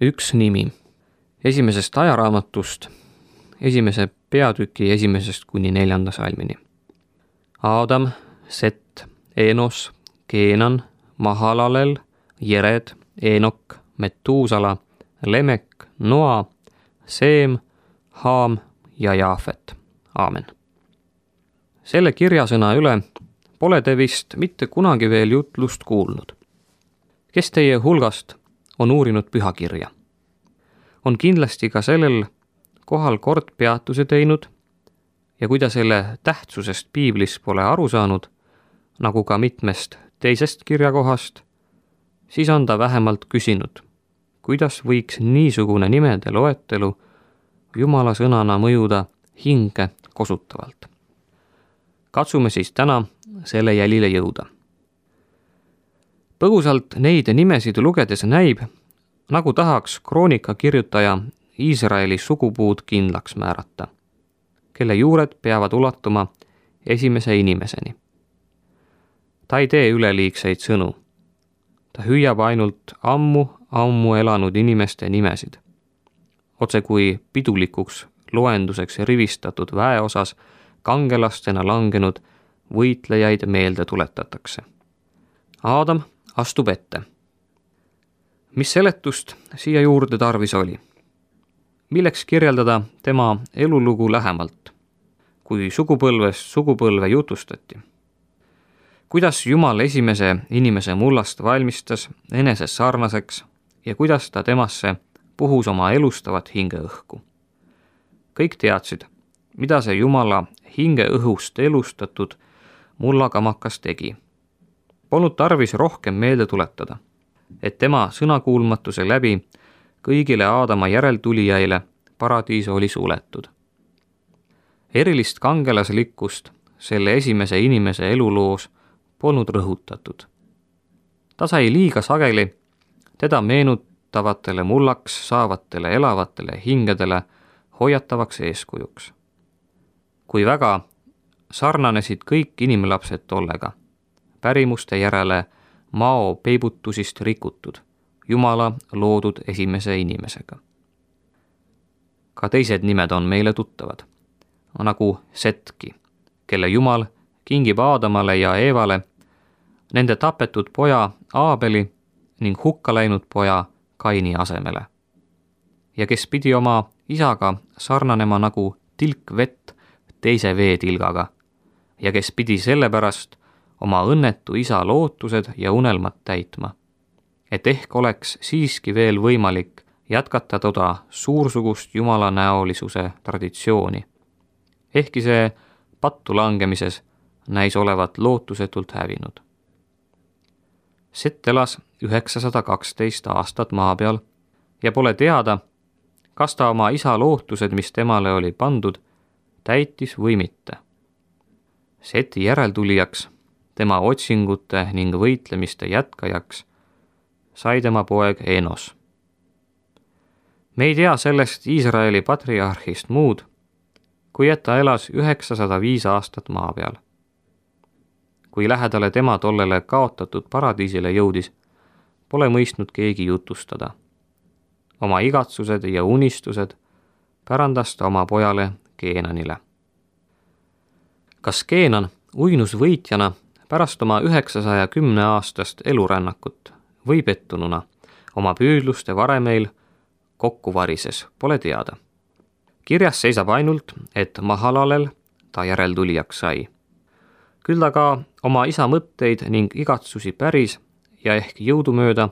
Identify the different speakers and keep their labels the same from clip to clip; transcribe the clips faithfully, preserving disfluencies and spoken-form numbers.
Speaker 1: üks nimi. Esimesest ajaraamatust, esimese peatüki esimesest kuni neljanda salmini. Aadam, Set, Enos, Keenan, Mahalalel, Jered, Enok, Metuusala, Lemek, Noa, Seem, Haam ja Jaafet. Aamen. Selle kirjasõna üle pole te vist mitte kunagi veel jutlust kuulnud. Kes teie hulgast on uurinud pühakirja? On kindlasti ka sellel kohal kord peatuse teinud ja kui ta selle tähtsusest piiblis pole aru saanud, nagu ka mitmest teisest kirjakohast, siis on ta vähemalt küsinud, kuidas võiks niisugune nimede loetelu Jumala sõnana mõjuda hinge kosutavalt. Katsume siis täna selle jälile jõuda. Põgusalt neid nimesid lugedes näib, nagu tahaks kroonika kirjutaja Iisraeli sugupuud kindlaks määrata, kelle juured peavad ulatuma esimese inimeseni. Ta ei tee üleliigseid sõnu. Ta hüüab ainult ammu, ammu elanud inimeste nimesid. Otse kui pidulikuks loenduseks rivistatud väeosas kangelastena langenud võitlejaid meelde tuletatakse. Aadam astub ette. Mis seletust siia juurde tarvis oli? Milleks kirjeldada tema elulugu lähemalt, kui sugupõlvest sugupõlve jutustati? Kuidas Jumal esimese inimese mullast valmistas enese sarnaseks ja kuidas ta temasse puhus oma elustavat hingeõhku? Kõik teadsid, mida see Jumala hingeõhust elustatud mullakamakas tegi. Polnud tarvis rohkem meelde tuletada, et tema sõnakuulmatuse läbi kõigile Aadama järeltulijaile paradiis oli suletud. Erilist kangelaslikkust selle esimese inimese eluloos polnud rõhutatud. Ta sai liiga sageli teda meenutavatele mullaks saavatele elavatele hingedele hoiatavaks eeskujuks. Kui väga sarnanesid kõik inimlapsed tollega, pärimuste järele mao peibutusist rikutud, Jumala loodud esimese inimesega. Ka teised nimed on meile tuttavad, nagu Setki, kelle Jumal kingib Aadamale ja Eevale nende tapetud poja Aabeli ning hukka läinud poja Kaini asemele. Ja kes pidi oma isaga sarnanema nagu tilk vett teise veetilgaga ja kes pidi sellepärast oma õnnetu isa lootused ja unelmad täitma, et ehk oleks siiski veel võimalik jätkata toda suursugust Jumala näolisuse traditsiooni. Ehkki see pattu langemises näis olevat lootusetult hävinud. Set elas üheksasada kaksteist aastat maa peal ja pole teada, kas ta oma isa lootused, mis temale oli pandud, täitis või mitte. Seti järeltulijaks, tema otsingute ning võitlemiste jätkajaks, sai tema poeg Enos. Me ei tea sellest Iisraeli patriarhist muud, kui et ta elas üheksasada viis aastat maa peal. Kui lähedale tema tollele kaotatud paradiisile jõudis, pole mõistnud keegi jutustada. Oma igatsused ja unistused pärandas ta oma pojale Keenanile. Kas Keenan uinus võitjana pärast oma üheksasaja kümne aastast elurännakut või pettununa oma püüdluste varemeil kokku varises, pole teada. Kirjas seisab ainult, et Mahalalel ta järeltulijaks sai. Küll ta ka oma isa mõtteid ning igatsusi päris ja ehk jõudumööda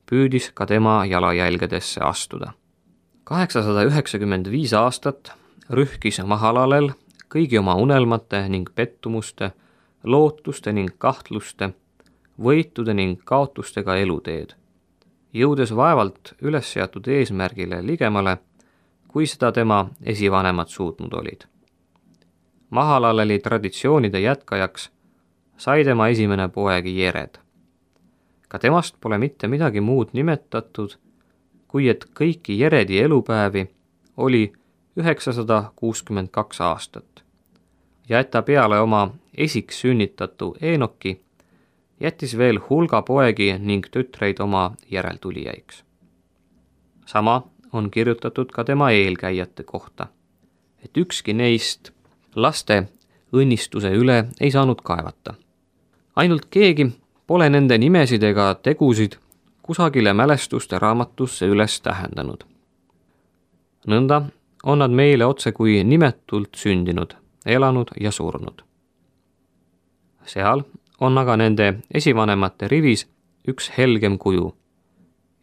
Speaker 1: püüdis ka tema jalajälgedesse astuda. kaheksasada üheksakümmend viis aastat rühkis Mahalalel kõigi oma unelmate ning pettumuste, lootuste ning kahtluste, võitude ning kaotustega eluteed, jõudes vaevalt üles seatud eesmärgile ligemale, kui seda tema esivanemad suutnud olid. Mahalaleli traditsioonide jätkajaks sai tema esimene poeg Jered. Ka temast pole mitte midagi muud nimetatud, kui et kõiki Jeredi elupäevi oli üheksasada kuuskümmend kaks aastat ja et ta peale oma esiks sünnitatu Enoki jättis veel hulga poegi ning tütreid oma järeltulijaiks. sama on kirjutatud ka tema eelkäijate kohta, et ükski neist laste õnnistuse üle ei saanud kaevata. Ainult keegi pole nende nimesid ega tegusid kusagile mälestuste raamatusse üles tähendanud. Nõnda on nad meile otse kui nimetult sündinud, elanud ja surnud. Seal on aga nende esivanemate rivis üks helgem kuju,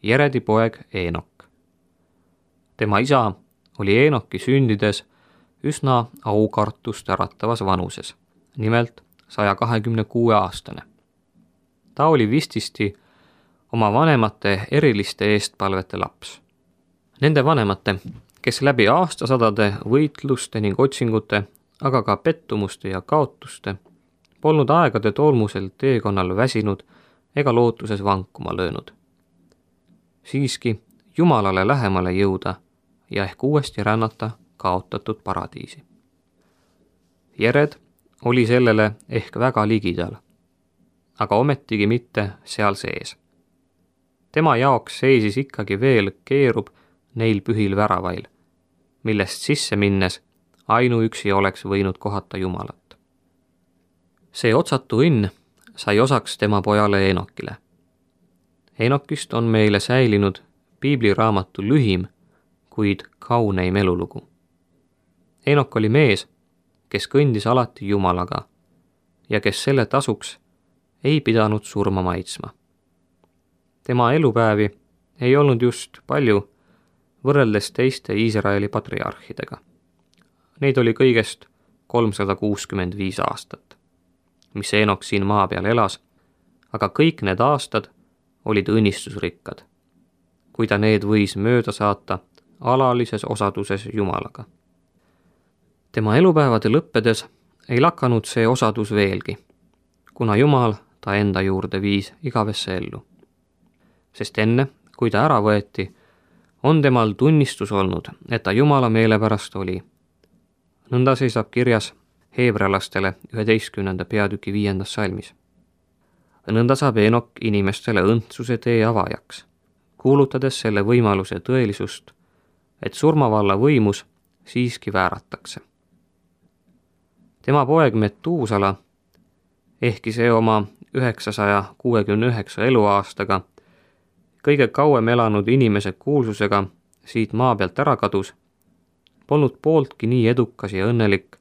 Speaker 1: Jeredi poeg Eenok. Tema isa oli Eenoki sündides üsna aukartust äratavas vanuses, nimelt saja kahekümne kuue aastane. Ta oli vististi oma vanemate eriliste eestpalvete laps. Nende vanemate, kes läbi aastasadade võitluste ning otsingute, aga ka pettumuste ja kaotuste, polnud aegade tolmusel teekonnal väsinud ega lootuses vankuma löönud. Siiski Jumalale lähemale jõuda ja ehk uuesti rännata kaotatud paradiisi. Jered oli sellele ehk väga ligidal, aga ometigi mitte seal sees. Tema jaoks seisis ikkagi veel keerub neil pühil väravail, millest sisse minnes ainuüksi oleks võinud kohata Jumalat. See otsatu õnn sai osaks tema pojale Eenokile. Eenokist on meile säilinud piibliraamatu lühim, kuid kauneim elulugu. Eenok oli mees, kes kõndis alati Jumalaga ja kes selle tasuks ei pidanud surma maitsma. Tema elupäevi ei olnud just palju võrreldes teiste Iisraeli patriarhidega. Neid oli kõigest kolmsada kuuskümmend viis aastat, mis Eenok siin maa peal elas, aga kõik need aastad olid õnnistusrikkad, kui ta need võis mööda saata alalises osaduses Jumalaga. Tema elupäevade lõppedes ei lakanud see osadus veelgi, kuna Jumal ta enda juurde viis igavesse ellu. Sest enne, kui ta ära võeti, on temal tunnistus olnud, et ta Jumala meele pärast oli. Nõnda seisab kirjas heebrealastele üheteistkümnenda peatüki viiendas salmis. Nõnda saab Eenok inimestele õndsuse tee avajaks, kuulutades selle võimaluse tõelisust, et surmavalla võimus siiski vääratakse. Tema poeg Metuusala, ehkki see oma üheksasaja kuuekümne üheksa eluaastaga kõige kauem elanud inimese kuulsusega siit maa pealt ära kadus, polnud pooltki nii edukas ja õnnelik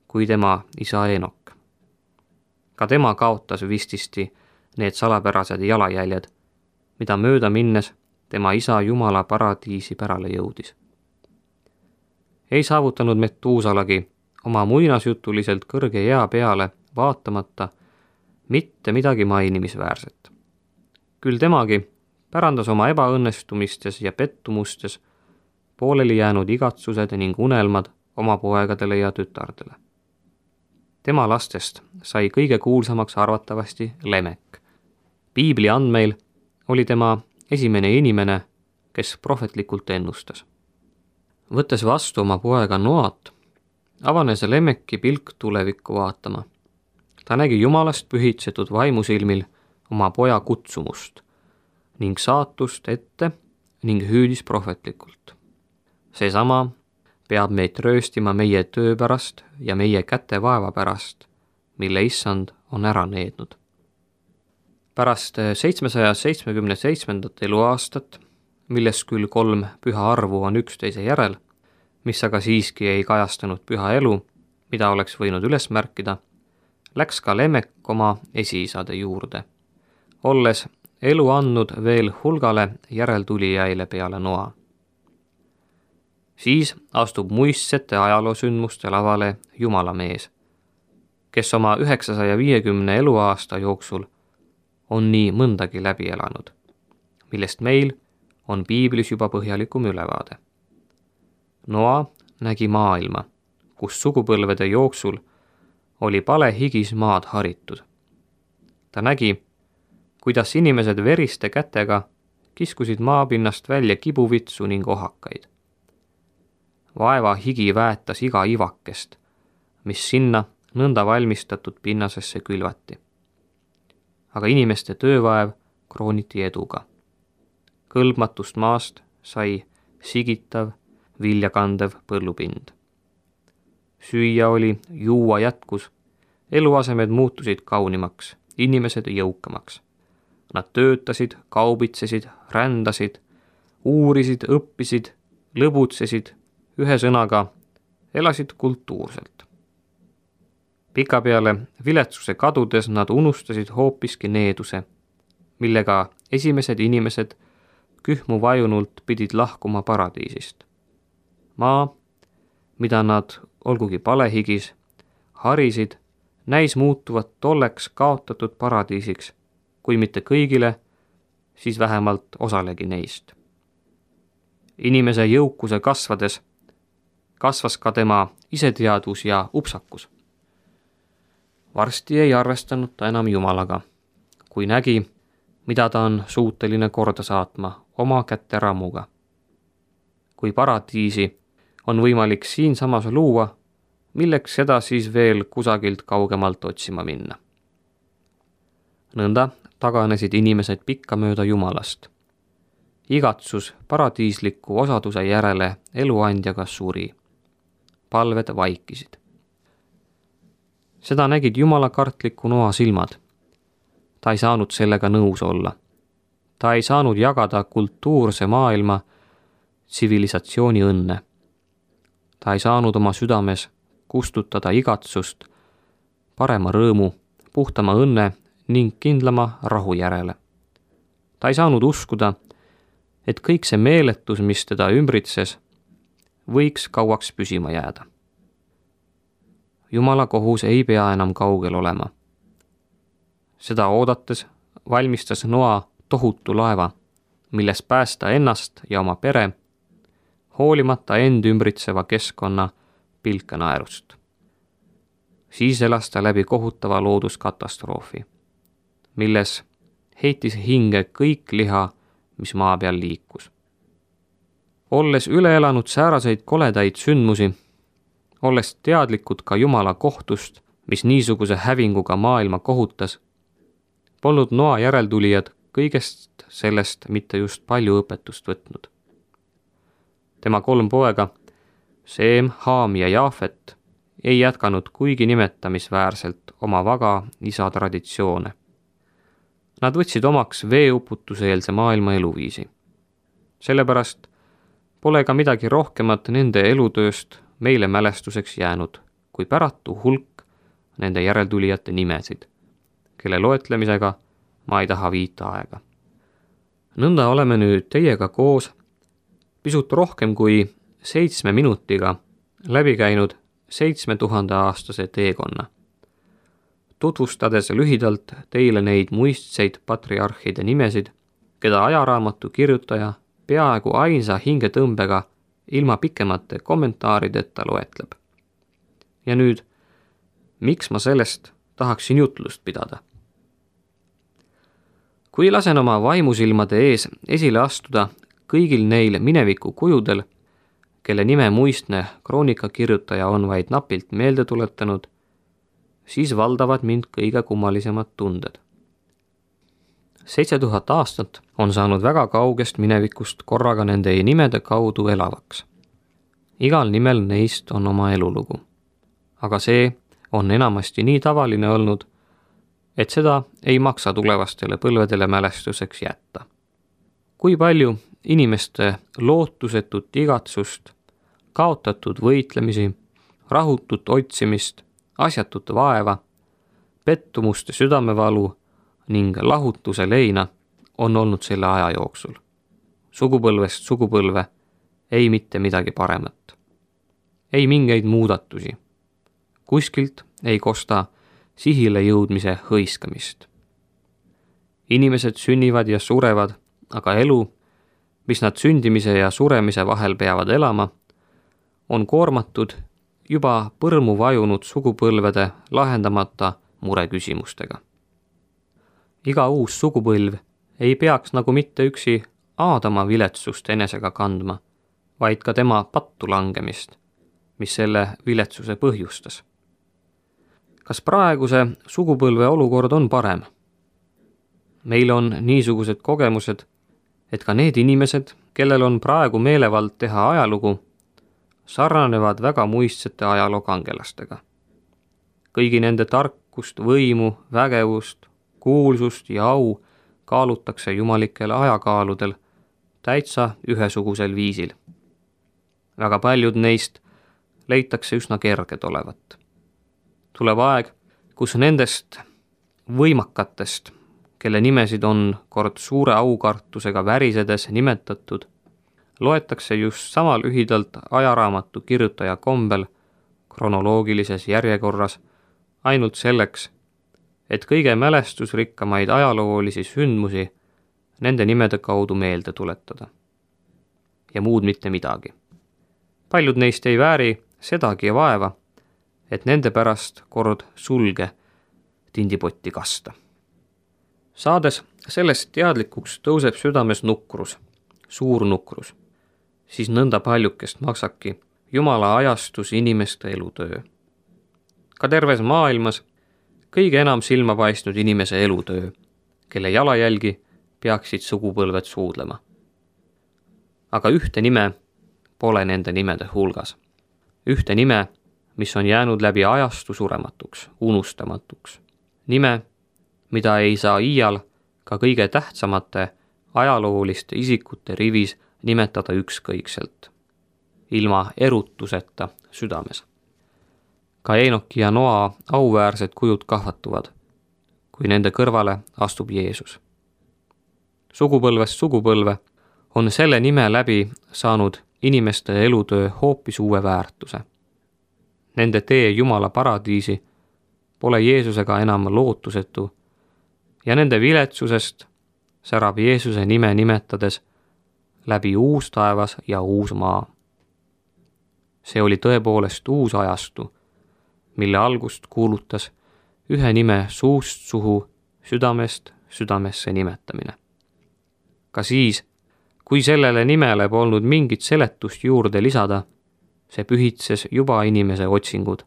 Speaker 1: kui tema isa Eenok. Ka tema kaotas vististi need salapärased jalajäljed, mida mööda minnes tema isa Jumala paradiisi pärale jõudis. Ei saavutanud Metuusalagi oma muinasjutuliselt kõrge ea peale vaatamata mitte midagi mainimisväärset. Küll temagi pärandas oma ebaõnnestumistes ja pettumustes pooleli jäänud igatsused ning unelmad oma poegadele ja tütardele. Tema lastest sai kõige kuulsamaks arvatavasti Lemek. Piibli andmeil oli tema esimene inimene, kes prohvetlikult ennustas. Võttes vastu oma poega Noat, avanes Lemeki pilk tulevikku vaatama. Ta nägi Jumalast pühitsetud vaimusilmil oma poja kutsumust ning saatust ette ning hüüdis prohvetlikult. Seesama peab meid rööstima meie töö pärast ja meie käte vaeva pärast, mille issand on ära neednud. Pärast seitsmesaja seitsmekümne seitsmendat eluaastat, milles küll kolm püha arvu on üksteise järel, mis aga siiski ei kajastanud püha elu, mida oleks võinud üles märkida, läks ka Lemek oma esiisade juurde, olles elu andnud veel hulgale järeltulijaile peale Noa. Siis astub muistsete ajaloosündmuste lavale Jumala mees, kes oma üheksasaja viiekümne eluaasta jooksul on nii mõndagi läbi elanud, millest meil on piiblis juba põhjalikum ülevaade. Noa nägi maailma, kus sugupõlvede jooksul oli pale higis maad haritud. Ta nägi, kuidas inimesed veriste kätega kiskusid maapinnast välja kibuvitsu ning ohakaid. Vaeva higi väetas iga ivakest, mis sinna nõnda valmistatud pinnasesse külvati. Aga inimeste töövaev krooniti eduga. Kõlbmatust maast sai sigitav, viljakandev põllupind. Süüa oli, juua jätkus, eluasemed muutusid kaunimaks, inimesed jõukamaks. Nad töötasid, kaubitsesid, rändasid, uurisid, õppisid, lõbutsesid, ühesõnaga elasid kultuurselt. Pikapeale viletsuse kadudes nad unustasid hoopiski needuse, millega esimesed inimesed kühmu vajunult pidid lahkuma paradiisist. Maa, mida nad, olgugi palehigis, harisid, näis muutuvat tolleks kaotatud paradiisiks, kui mitte kõigile, siis vähemalt osalegi neist. Inimese jõukuse kasvades kasvas ka tema iseteadvus ja upsakus. Varsti ei arvestanud ta enam Jumalaga, kui nägi, mida ta on suuteline korda saatma oma kätte rammuga. Kui paradiisi on võimalik siinsamas luua, milleks seda siis veel kusagilt kaugemalt otsima minna. Nõnda taganesid inimesed pikkamööda Jumalast. Igatsus paradiisliku osaduse järele eluandjaga suri. Palved vaikisid. Seda nägid jumalakartliku Noa silmad. Ta ei saanud sellega nõus olla. Ta ei saanud jagada kultuurse maailma tsivilisatsiooni õnne. Ta ei saanud oma südames kustutada igatsust, parema rõõmu, puhtama õnne ning kindlama rahu järele. Ta ei saanud uskuda, et kõik see meeletus, mis teda ümbritses, võiks kauaks püsima jääda. Jumala kohus ei pea enam kaugel olema. Seda oodates valmistas Noa tohutu laeva, milles päästa ennast ja oma pere, hoolimata end ümbritseva keskkonna pilkenaerust. Siis elas ta läbi kohutava looduskatastroofi, milles heitis hinge kõik liha, mis maa peal liikus. Olles üle elanud sääraseid koledaid sündmusi, olles teadlikud ka Jumala kohtust, mis niisuguse hävinguga maailma kohutas, polnud Noa järeltulijad kõigest sellest mitte just palju õpetust võtnud. Tema kolm poega, Seem, Haam ja Jaafet, ei jätkanud kuigi nimetamisväärselt oma vaga isa traditsioone. Nad võtsid omaks veeuputuseelse maailma eluviisi. Sellepärast pole ka midagi rohkemat nende elutööst meile mälestuseks jäänud, kui päratu hulk nende järeltulijate nimesid, kelle loetlemisega ma ei taha viita aega. Nõnda oleme nüüd teiega koos pisut rohkem kui seitsme minutiga läbi käinud seitsme tuhande aastase teekonna, tutvustades lühidalt teile neid muistseid patriarhide nimesid, keda ajaraamatu kirjutaja peaaegu ainsa hingetõmbega ilma pikemate kommentaarideta loetleb. Ja nüüd, miks ma sellest tahaksin jutlust pidada? Kui lasen oma vaimusilmade ees esile astuda kõigil neil mineviku kujudel, kelle nime muistne kroonikakirjutaja on vaid napilt meelde tuletanud, siis valdavad mind kõige kummalisemad tunded. Seitse tuhat aastat on saanud väga kaugest minevikust korraga nende nimede kaudu elavaks. Igal nimel neist on oma elulugu. Aga see on enamasti nii tavaline olnud, et seda ei maksa tulevastele põlvedele mälestuseks jätta. Kui palju inimeste lootusetut igatsust, kaotatud võitlemisi, rahutut otsimist, asjatut vaeva, pettumuste südamevalu ning lahutuse leina on olnud selle aja jooksul. Sugupõlvest sugupõlve ei mitte midagi paremat. Ei mingeid muudatusi. Kuskilt ei kosta sihile jõudmise hõiskamist. Inimesed sünnivad ja surevad, aga elu, mis nad sündimise ja suremise vahel peavad elama, on koormatud juba põrmu vajunud sugupõlvede lahendamata mureküsimustega. Iga uus sugupõlv ei peaks nagu mitte üksi Aadama viletsust enesega kandma, vaid ka tema pattu langemist, mis selle viletsuse põhjustas. Kas praeguse sugupõlve olukord on parem? Meil on niisugused kogemused, et ka need inimesed, kellel on praegu meelevald teha ajalugu, sarnanevad väga muistsete ajaloo kangelastega. Kõigi nende tarkust, võimu, vägevust, kuulsust ja au kaalutakse jumalikel ajakaaludel täitsa ühesugusel viisil. Väga paljud neist leitakse üsna kerged olevat. Tuleb aeg, kus nendest võimakatest, kelle nimesid on kord suure aukartusega värisedes nimetatud, loetakse just sama lühidalt ajaraamatu kirjutaja kombel kronoloogilises järjekorras ainult selleks, et kõige mälestusrikkamaid ajaloolisi sündmusi nende nimede kaudu meelde tuletada. Ja muud mitte midagi. Paljud neist ei vääri sedagi vaeva, et nende pärast kord sulge tindipotti kasta. Saades sellest teadlikuks tõuseb südames nukrus, suur nukrus, siis nõnda paljukest maksabki Jumala ajastus inimeste elutöö. Ka terves maailmas kõige enam silma paistnud inimese elutöö, kelle jalajälgi peaksid sugupõlved suudlema. Aga ühte nime pole nende nimede hulgas. Ühte nime, mis on jäänud läbi ajastu surematuks, unustamatuks. Nime, mida ei saa iial ka kõige tähtsamate ajalooliste isikute rivis nimetada ükskõikselt, ilma erutuseta südames. Ka Eenoki ja Noa auväärsed kujud kahvatuvad, kui nende kõrvale astub Jeesus. Sugupõlvest sugupõlve on selle nime läbi saanud inimeste elutöö hoopis uue väärtuse. Nende tee Jumala paradiisi pole Jeesusega enam lootusetu ja nende viletsusest särab Jeesuse nime nimetades läbi uus taevas ja uus maa. See oli tõepoolest uus ajastu, mille algust kuulutas ühe nime suust suhu, südamest südamesse nimetamine. Ka siis, kui sellele nimele polnud mingit seletust juurde lisada, see pühitses juba inimese otsingud,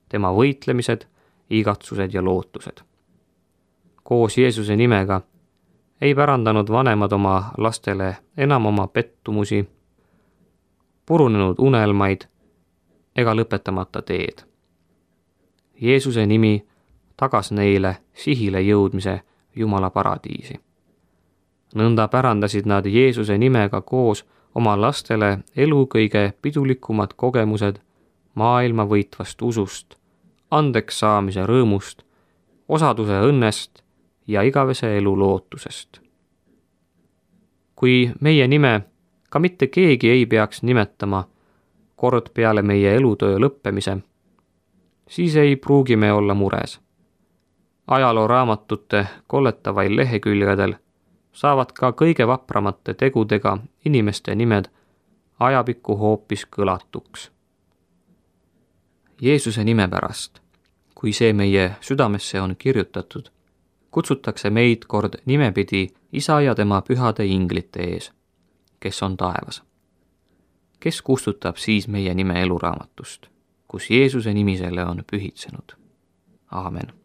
Speaker 1: tema võitlemised, igatsused ja lootused. Koos Jeesuse nimega ei pärandanud vanemad oma lastele enam oma pettumusi, purunenud unelmaid ega lõpetamata teed. Jeesuse nimi tagas neile sihile jõudmise Jumala paradiisi. Nõnda pärandasid nad Jeesuse nimega koos oma lastele elu kõige pidulikumad kogemused maailma võitvast usust, andeks saamise rõõmust, osaduse õnnest ja igavese elu lootusest. Kui meie nime ka mitte keegi ei peaks nimetama kord peale meie elutöö lõppemise, siis ei pruugi me olla mures. Ajalooraamatute kolletavail lehekülgedel saavad ka kõige vapramate tegudega inimeste nimed ajapikku hoopis kõlatuks. Jeesuse nime pärast, kui see meie südamesse on kirjutatud, kutsutakse meid kord nimepidi Isa ja tema pühade inglite ees, kes on taevas. Kes kustutab siis meie nime eluraamatust, kus Jeesuse nimi selle on pühitsenud? Aamen.